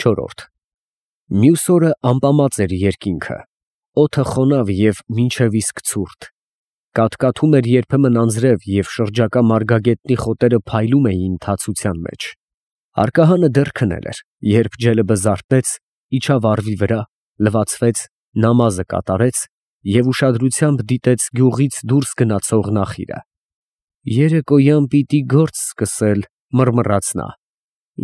14 Մյուս օրը ամպամած էր երկինքը, օդը խոնավ և մինչև իսկ ցուրտ, կաթկաթում էր երբեմն անձրև և շրջակա մարգագետնի խոտերը փայլում էին թացության մեջ։ Հարկահանը դեռ քնել էր, երբ Ջելբը զարթնեց, իջավ առվի վրա, լվացվեց, նամազը կատարեց և ուշադրությամբ դիտեց գյուղից դուրս գնացող նախիրը։ Երեկոյան պիտի գործ սկսել, մռմռաց նա,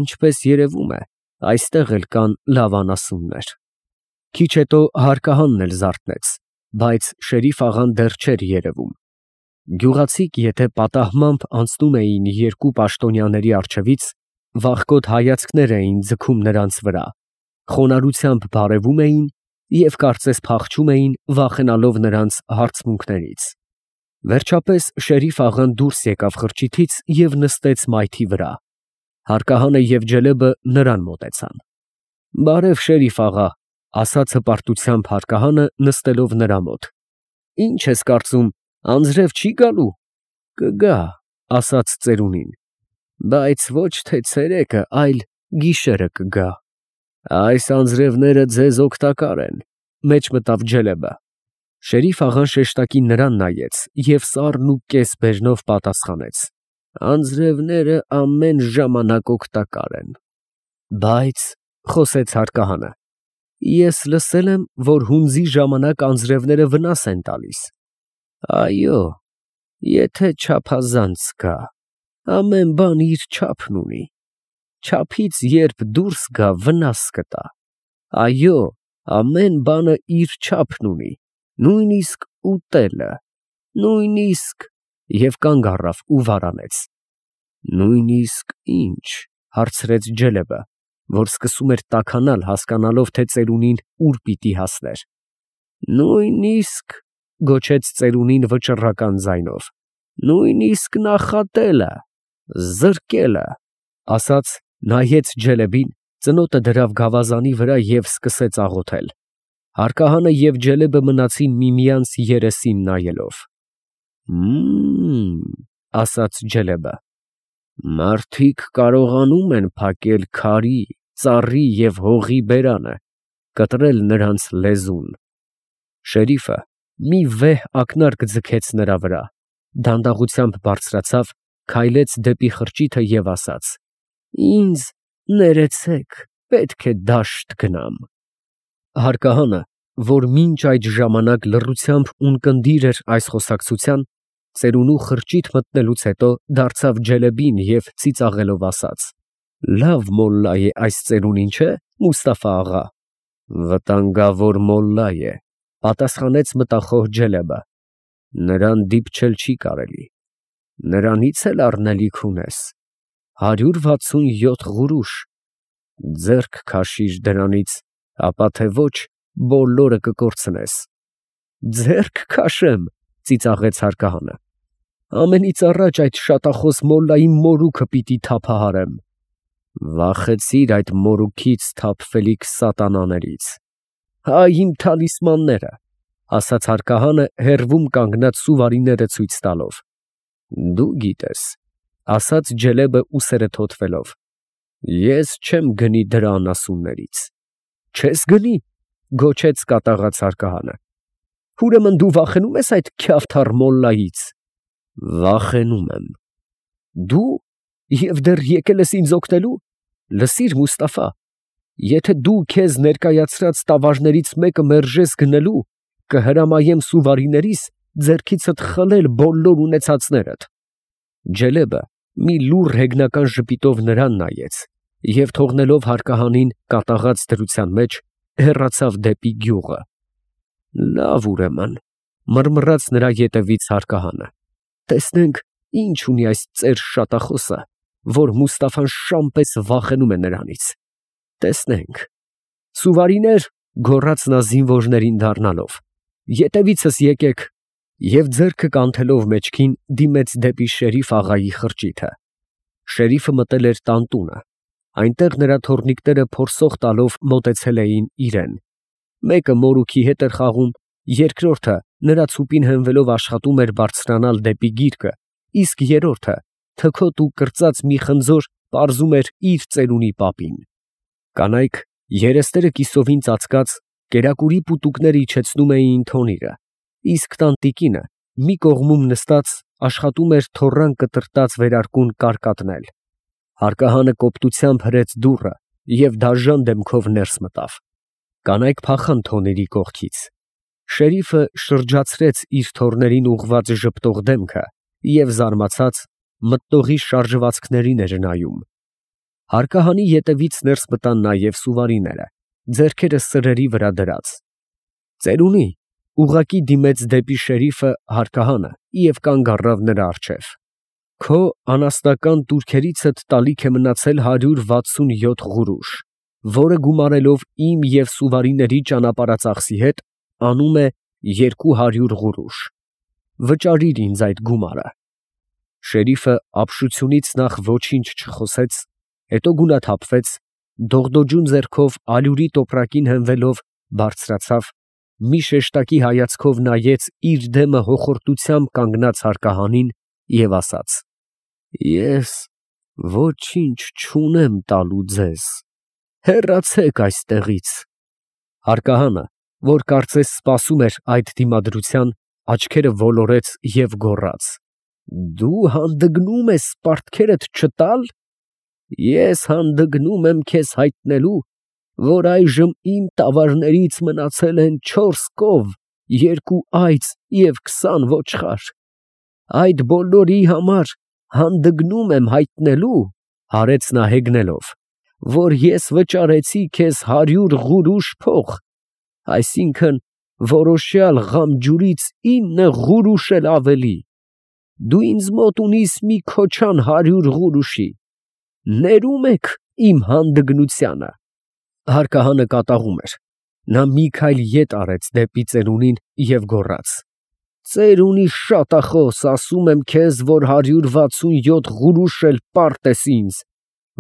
ինչպես երևում է, այստեղ էլ կան լավ անասուններ։ Քիչ հետո հարկահանն էլ զարթնեց, բայց Շերիֆ աղան դեռ չէր երևում։ Գյուղացիք եթե պատահմամբ անցնում էին երկու պաշտոնյաների առջևից, վախկոտ հայացքներ էին ձգում նրանց վրա, խոնարհությամբ բարևում էին և կարծես փախչում էին, վախենալով նրանց հարցմունքներից։ Վերջապես Շերիֆ աղան դուրս եկավ խրճիթից և նստեց մայթի վրա։ Հարկահանը և Ջելբը նրան մոտեցան։ «Բարև, Շերիֆ աղա», ասաց հպարտությամբ հարկահանը, նստելով նրա մոտ։ «Ինչ ես կարծում, անձրև չի գալու»։ «Կգա», ասաց ծերունին, «բայց ոչ թե ցերեկը, այլ գիշերը կգա»։ «Այս անձրևները ձեզ օգտակար են», մեջ մտավ Ջելբը։ Շերիֆ աղան շեշտակի նրան նայեց և սառն ու կես բաժնով պատասխանեց. «Անձրևները ամեն ժամանակ օգտակար են»։ «Բայց», խոսեց հարկահանը, «ես լսել եմ, որ հունձի ժամանակ անձրևները վնաս են տալիս»։ «Այո, եթե չափազանց կա, ամեն բան իր չափն ունի, չափից երբ դուրս գա, վնաս կտա։ Այո, ամեն բանը իր չափն ունի, նույնիսկ ուտելը, նույնիսկ…» և կանգ առավ ու վարանեց։ «Նույնիսկ ի՞նչ», հարցրեց Ջելբը, որ սկսում էր տաքանալ, հասկանալով, թե ծերունին ուր պիտի հասներ։ «Նույնիսկ…» գոչեց ծերունին վճռական ձայնով, «նույնիսկ նախատելը, զրկելը», ասաց, նայեց Ջելբին, ծնոտը դրավ գավազանի վրա և սկսեց աղոթել։ Հարկահանը և Ջելբը մնացին միմյանց երեսին նայելով։ Ասաց Ջելբը, «Մարդիկ կարողանում են փակել քարի, ծառի և հողի բերանը, կտրել նրանց լեզուն»։ Շերիֆը մի վեհ ակնարկ ձգեց նրա վրա, դանդաղությամբ բարձրացավ, քայլեց դեպի խրճիթը և ասաց. «Ինձ ներեցեք, պետք է դաշտ գնամ»։ Հարկահանը, որ մինչ այդ ժամանակ լռությամբ ունկնդիր էր այս խոսակցության, ծերունու խրճիթ մտնելուց հետո դարձավ Ջելբին և ծիծաղելով ասաց. «Լավ մոլլա է այս ծերունին, չէ՞, Մուստաֆա աղա»։ «Վտանգավոր մոլլա է», պատասխանեց մտախոհ Ջելբը, «նրան դիպչել չի կարելի։ Նրանից էլ առնելիք ունես, 167 ғուրուշ, ձեռք քաշիր դրանից, ապա թե ոչ, բոլորը կկորցնես»։ «Ձեռք քաշեմ», ծիծաղեց հարկահանը, «ամենից առաջ այդ շատախոս մոլլայի մորուքը պիտի թափահարեմ»։ «Վախեցիր այդ մորուքից թափվելիք սատանաներից»։ «Հայ իմ թալիսմանները», ասաց հարկահանը, հեռվում կանգնած սուվարիները ցույց տալով։ «Դու գիտես», ասաց Ջելբը ուսերը թոթվելով, «ես չեմ գնի դրա անասուններից»։ «Չես գնի», գոչեց կատաղած հարկահանը, «ուրեմն դու վախենու՞մ ես այդ քյավթառ մոլլայից»։ «Վախենում եմ»։ «Դու, և դեռ եկել ես ինձ օգնելու։ Լսիր, Մուստաֆա, եթե դու քեզ ներկայացրած տավարներից մեկը մերժես գնելու, կհրամայեմ սուվարիներիս ձեռքիցդ խլել բոլոր ունեցածներդ»։ Ջելբը մի լուռ հեգնական ժպիտով նրան նայեց և թողնելով հարկահանին կատաղած դրության մեջ, հեռացավ դեպի գյուղը։ «Լավ, ուրեմն», մռմռաց նրա ետևից հարկահանը, «տեսնենք ինչ ունի այս ծեր շատախոսը, որ Մուստաֆան շան պես վախենում է նրանից։ Տեսնենք»։ «Սուվարինե՛ր», գոռաց նա զինվորներին դառնալով, «ետևիցս եկեք», և ձեռքը կանթելով մեջքին, դիմեց դեպի Շերիֆ աղայի խրճիթը։ Շերիֆը մտել էր տան տունը, այնտեղ նրա թոռնիկները փորսող տալով մոտեցել էին իրան։ Մեկը մորուքի հետ էր խաղում, երկրորդը նրա ցուպին հենվելով աշխատում էր բարձրանալ դեպի գիրկը, իսկ երրորդը, թքոտ ու կրծած մի խնձոր, պարզում էր իր ծերունի պապին։ Կանայք Երեսները կիսովին ծածկած, կերակուրի պուտուկները իջեցնում էին թոնիրը, իսկ տանտիկինը մի կողմում նստած աշխատում էր թոռան կտրտած վերարկուն կարկատնել։ Հարկահանը կոպտությամբ հրեց դուռը և դաժան դեմքով ներս մտավ։ Կանայք փախան թոնիրի կողքից։ Շերիֆը շրջացրեց իր թոռներին ուղղված ժպտող դեմքը և զարմացած մտնողի շարժվածքներին էր նայում։ Հարկահանի ետևից ներս մտան նաև սուվարիները, ձեռքերը սրերի վրա դրած։ Ծերունի, ուղղակի դիմեց դեպի շերիֆը հարկահանը և կանգ առավ նրա առջև։ Քո անասնական տուրքերիցդ տալիք է մնացել 167 ղուրուշ, որը գումարելով իմ և սուվարիների ճանապարհածախսի հետ, անում է 200 ղուրուշ։ Վճարիր ինձ այդ գումարը։ Շերիֆը ապշությունից նախ ոչինչ չխոսեց, հետո գունաթափվեց, դողդոջուն ձեռքով ալյուրի տոպրակին հենվելով բարձրացավ, մի շեշտակի հայացքով նայեց իր դեմը հոխորտությամբ կանգնած հարկահանին և ասաց. «Ես ոչինչ չունեմ տալու ձեզ, հեռացեք այստեղից»։ Հարկահանը, որ կարծես սպասում էր այդ դիմադրության, աչքերը ոլորեց և գոռաց. «Դու հանդգնում ես պարտքերդ չտալ։ Ես հանդգնում եմ քեզ հայտնելու, որ այժմ իմ տավարներից մնացել են 4 կով, 2 այծ և 20 ոչխար։ Այդ բոլորի համար հանդգնում եմ հայտնելու, ֊ հարեց նա հեգնելով, ֊ որ ես վճարեցի քեզ 100 ղուրուշ փող, այսինքն որոշյալ Ղամջուրից 9 ղուրուշ էլ ավելի։ Դու ինձ մոտ ունիս մի քոչան 100 ղուրուշի, ներում եք իմ հանդգնությանը»։ Հարկահանը կատաղում էր, նա մի քայլ ետ արեց դեպի ծերունին և գոռաց. «Ծերունի շատախոս, ասում եմ քեզ, որ 167 ղուրուշ էլ պարտ ես ինձ,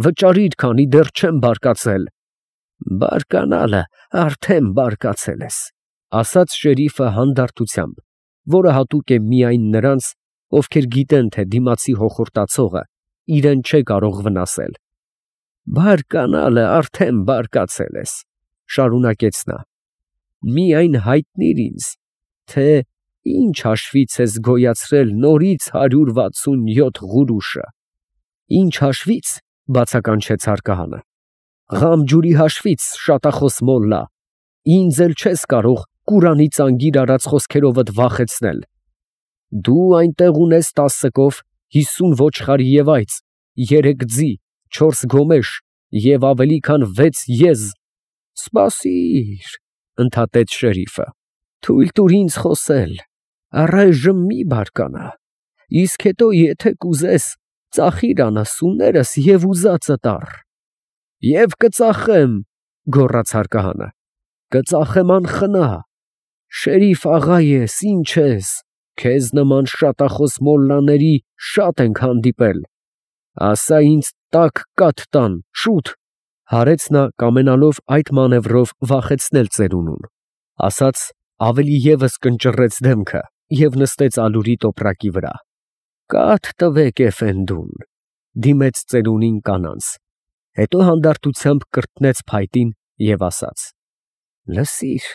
վճարիր, քանի դեռ չեմ բարկացել»։ «Բարկանալը արդեն բարկացել ես», ֊ ասաց շերիֆը հանդարտությամբ, որը հատուկ է միայն նրանց, ովքեր գիտեն, թե դիմացի հոխորտացողը իրեն չէ կարող վնասել։ «Բարկանալը արդեն բարկացել ես», ֊ շարունակեց նա, ֊ «միայն հայտնիր ինձ, թե ինչ հաշվից ես գոյացրել նորից 167 ղուրուշը»։ «Ինչ հաշվից» ֊ բացականչեց հարկահանը։ «Ղամջուրի հաշվից, շատախոս մոլլա, ինձ էլ չես կարող Կուրանի ծանգիր արած խոսքերովդ վախեցնել։ Դու այնտեղ ունես 10 կով, 50 ոչխար և այծ, 3 ձի, 4 գոմեշ և ավելի քան 6 եզ»։ «Սպասիր, ֊ ընդհատեց շերիֆը, ֊ թույլ տուր ինձ խոսել, առայժմ մի բարկանա, իսկ հետո եթե կուզես, ծախիր անասուններս և ուզածդ առ»։ «Եվ կծախեմ, ֊ գոռաց հարկահանը, ֊ կծախեմ անխնա։ Շերիֆ աղա ես, ինչ ես, քեզ նման շատախոս մոլլաների շատ ենք հանդիպել։ Ասա ինձ տաք կաթ տան, շուտ»։ Հարեց նա, կամենալով այդ մանևրով վախեցնել ծերունուն, ասաց, ավելի ևս կնճռեց դեմքը և նստեց ալյուրի տոպրակի վրա։ «Կաթ տվեք էֆենդուն», ֊ դիմեց ծերունին կանանց, հետո հանդարտությամբ կրտնեց փայտին և ասաց. «Լսիր,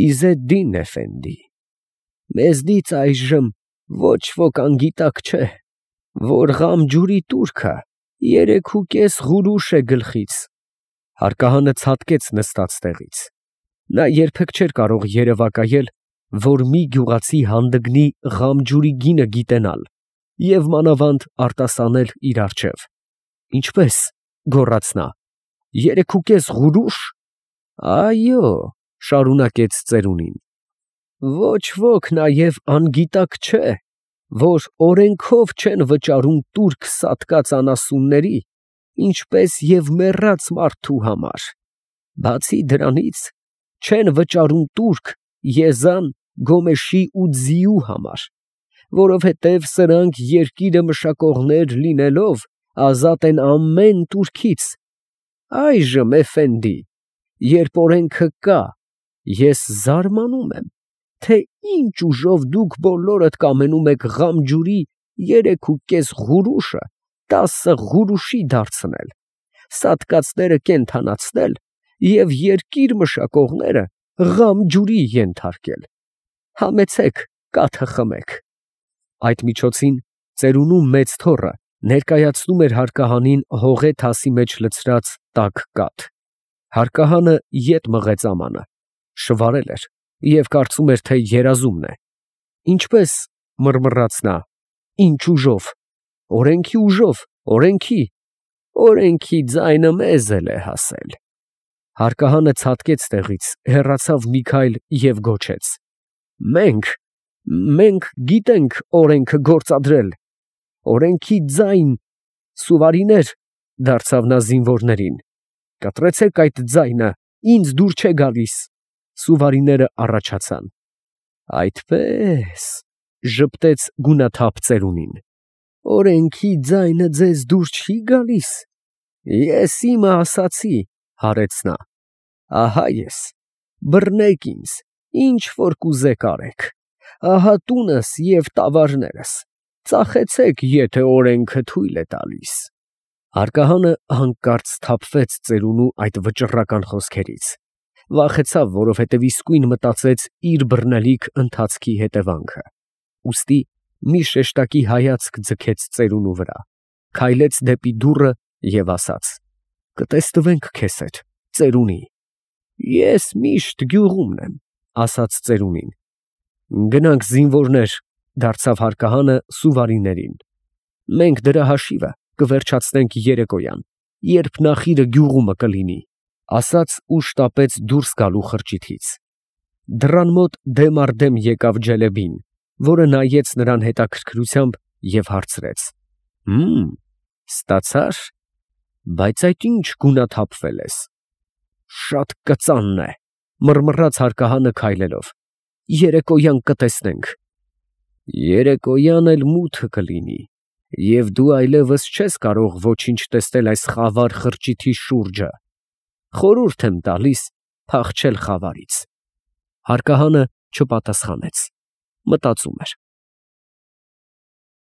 Իզեդդին էֆենդի, մեզնից այժմ ոչ ոք անգիտակ չէ, որ Ղամջուրի տուրքը 3.5 ղուրուշ է գլխից»։ Հարկահանը ցատկեց նստած տեղից։ Նա երբեք չէր կարող երևակայել, որ մի գյուղացի հանդգնի Ղամջուրի գինը գիտենալ և մանավանդ արտասանել իր առջև։ «Ինչպե՞ս», ֊ գոռաց նա, ֊ 3.5 ղուրուշ։ «Այո, ֊ շարունակեց ծերունին, ֊ ոչ ոք նաև անգիտակ չէ, որ օրենքով չեն վճարում տուրք սատկած անասունների, ինչպես և մեռած մարդու համար։ Բացի դրանից, չեն վճարում տուրք եզան, գոմեշի ու ձիու համար, որովհետև սրանք երկիրը մշակողներ լինելով, ազատ են ամեն տուրքից։ Այժմ, էֆենդի, երբ օրենքը կա, ես զարմանում եմ, թե ինչ ուժով դուք բոլորդ կամենում եք Ղամջուրի 3.5 ղուրուշը 10 ղուրուշի դարձնել, սատկածները կենդանացնել և երկիր մշակողները ղամ ջուրի ենթարկել։ Համեցեք, կաթը խմեք։ Այդ միջոցին ծերունու մեծ թոռը ներկայացնում էր հարկահանին հողե թասի մեջ լցրած տաք կաթ։ Հարկահանը ետ մղեց ամանը, շվարել էր և կարծում էր, թե երազումն է։ Ինչպե՞ս, մռմռաց նա, ինչ ուժով, օրենքի ուժով, օրենքի, օրենքի ձայնը մեզ էլ է հասել։ Հարկահանը ցատկեց տեղից, հեռացավ մի քայլ և գոչեց. Մենք գիտենք օրենքը գործադրել, օրենքի ձայն, սուվարիներ, դարձավ նա զինվորներին, կտրեցեք այդ ձայնը, ինձ դուր չէ գալիս։ Սուվարիները առաջացան։ Այդպես, ժպտեց գունաթափ ծերունին, օրենքի ձայնը ձեզ դուր չի գալիս։ Ես իմը ասացի, հարեց նա, ահա ես, բռնեք ինձ, ինչ որ կուզեք արեք, ահա տունս և տավարներս, ծախեցեք, եթե օրենքը թույլ է տալիս։ Հարկահանը հանկարծ սթափվեց ծերունու այդ վճռական խոսքերից, վախեցավ, որովհետև իսկույն մտածեց իր բռնելիք ընթացքի հետևանքը, ուստի մի շեշտակի հայացք ձգեց ծերունու վրա, քայլեց դեպի դուռը և ասաց. կտեսնվենք քեզ հետ, ծերունի։ Ես միշտ գյուղումն եմ, ասաց ծերունին։ Գնանք, զինվորներ, դարձավ հարկահանը սուվարիներին, մենք դրա հաշիվը կվերջացնենք երեկոյան, երբ նախիրը գյուղումը կլինի, ասաց ու շտապեց դուրս գալու խրճիթից։ Դռան մոտ դեմ առ դեմ եկավ Ջելեբին, որը նայեց նրան հետաքրքրությամբ և հարցրեց. Ստացա՞ր, բայց այդ ինչ գունաթափվել ես։ Շատ կծանն է, մռմռաց հարկահանը քայլելով, երեկոյան կտեսնենք։ Երեկոյան էլ մութը կլինի, և դու այլևս չես կարող ոչինչ տեսնել այս խավար խրճիթի շուրջը, խորհուրդ եմ տալիս փախչել խավարից։ Հարկահանը չպատասխանեց, մտածում էր։